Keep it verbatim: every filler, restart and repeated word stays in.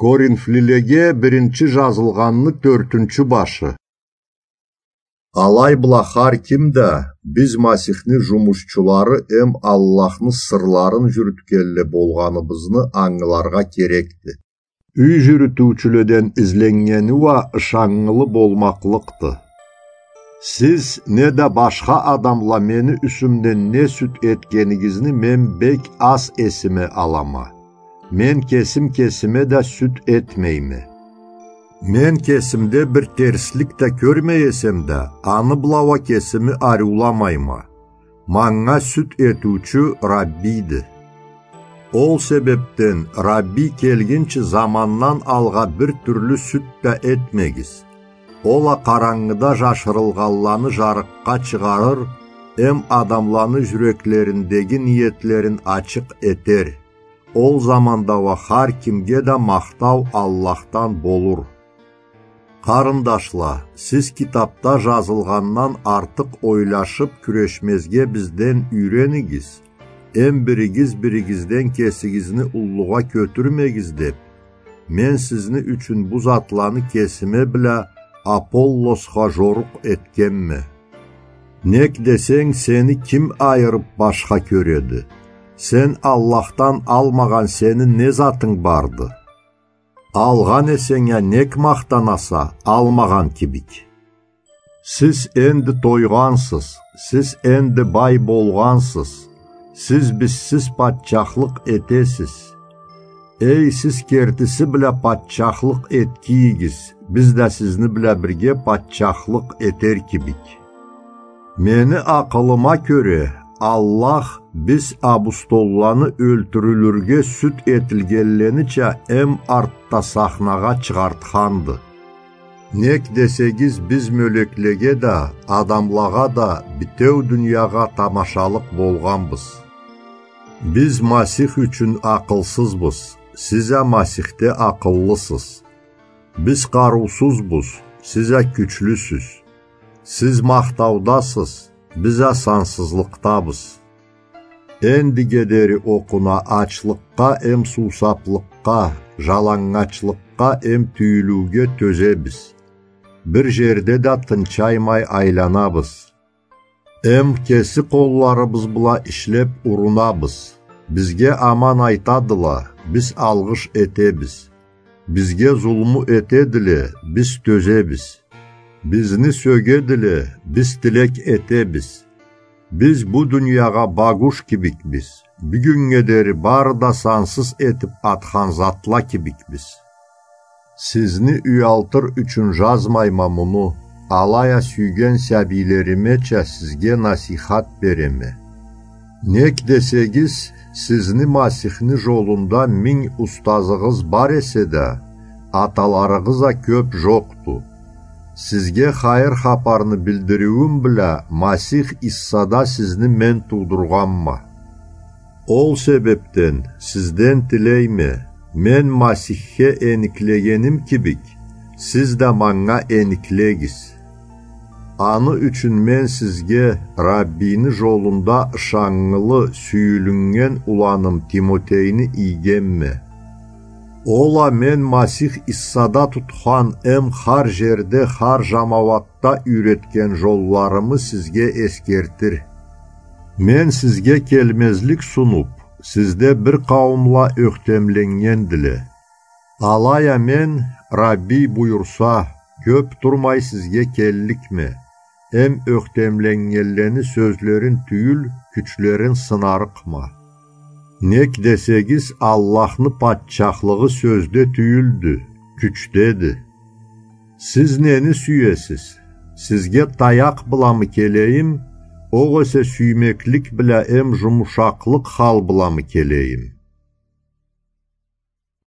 Коринфлилеге биринчи жазылгъанны тёртюнчю башы. Алай бла хар ким да биз Масихни жумушчулары эм Аллахны сырларын жюрютгенле болгъаныбызны ангыларгъа керекди. Юй жюрютюучюледен изленнгени уа ышаннгылы болмакълыкъды. Сиз неда башха адамла мени юсюмден не сюд этгенигизни мен бек аз эсиме алама. Мен кесим кесиме да сюд этмейме. Мен кесимде бир терслик да кёрмей эсем да, аны бла уа кесими ариуламайма. Манга сюд этиучю Раббийди. Ол себебден Раббий келгинчи замандан алгъа бир тюрлю сюд да этмегиз. Ол а къарангыда жашырылгъанланы жарыкъгъа чыгъарыр эм адамланы жюреклериндеги ниетлерин ачыкъ этер. Ол заманда уа хар кимге да махтау Аллахдан болур. Къарындашла, сиз китапда жазылгъандан артыкъ ойлашып кюрешмезге бизден юйренигиз, эм биригиз биригизден кесигизни уллугъа кётюрмегиз деп, мен сизни ючюн бу затланы кесиме бла Аполлосха жорукъ этгенме. Нек десенг, сени ким айырып башха кёреди? Сен Аллахдан алмагъан сени не затынг барды? Алгъан эсенг а нек махтанаса, алмагъан кибик? Сиз энди тойгъансыз, сиз энди бай болгъансыз, сиз бизсиз патчахлыкъ этесиз. Эй, сиз кертиси бла патчахлыкъ этгийигиз, биз да сизни бла бирге патчахлыкъ этер кибик. Мени акъылыма кёре, Аллах биз абустолланы ёлтюрюлюрге сюд этилгенленича эм артда сахнагъа чыгъартханды. Нек десегиз, биз мёлеклеге да, адамлагъа да, битеу дуниягъа тамашалыкъ болгъанбыз. Биз Масих ючюн акъылсызбыз, сиз а Масихде акъыллысыз. Биз къарыусузбуз, сиз а кючлюсюз. Сиз махтаудасыз, биз а сансызлыкъдабыз. Эндиге дери окъуна ачлыкъгъа эм суусаплыкъгъа, жалангачлыкъгъа эм тюйюлюуге тёзебиз. Бир жерде да тынчаймай айланабыз. Эм кеси къолларыбыз бла ишлеп урунабыз. Бизге аман айтадыла, биз алгъыш этебиз. Бизге зулму этедиле, биз тёзебиз. Бизни сёгедиле, биз тилек этебиз. Биз бу дуниягъа багуш кибикбиз. Бюгюннге дери бары да сансыз этип атхан затла кибикбиз. Сизни уялтыр ючюн жазмайма муну, алай а сюйген сабийлеримеча сизге насийхат береме. Нек десегиз, сизни Масихни жолунда минг устазыгъыз бар эсе да, аталарыгъыз а кёп жокъду. Сизге хайыр хапарны билдириуюм бла Масих Иссада сизни мен туудургъанма. Ол себепден сизден тилейме, мен Масихге эниклегеним кибик, сиз да манга эниклегиз. Аны ючюн мен сизге Раббийни жолунда ышаннгылы, сюйюлюннген уланым Тимотейни ийгенме. Ол а мен Масих Иссада тутхан эм хар жерде, хар жамауатда юйретген жолларымы сизге эсгертир. Мен сизге келмезлик сунуп, сизде бир къауумла ёхтемленнгендиле. Алай а мен, Раббий буюрса, кёп турмай сизге келликме, эм ёхтемленнгенлени сёзлерин тюйюл, кючлерин сынарыкъма. Нек десегиз, Аллахны патчахлыгъы сёзде тюйюлдю, кючдеди. Сиз нени сюесиз? Сизге таякъ бламы келейим, огъесе сюймеклик бла эм жумушакълыкъ хал бламы келейим?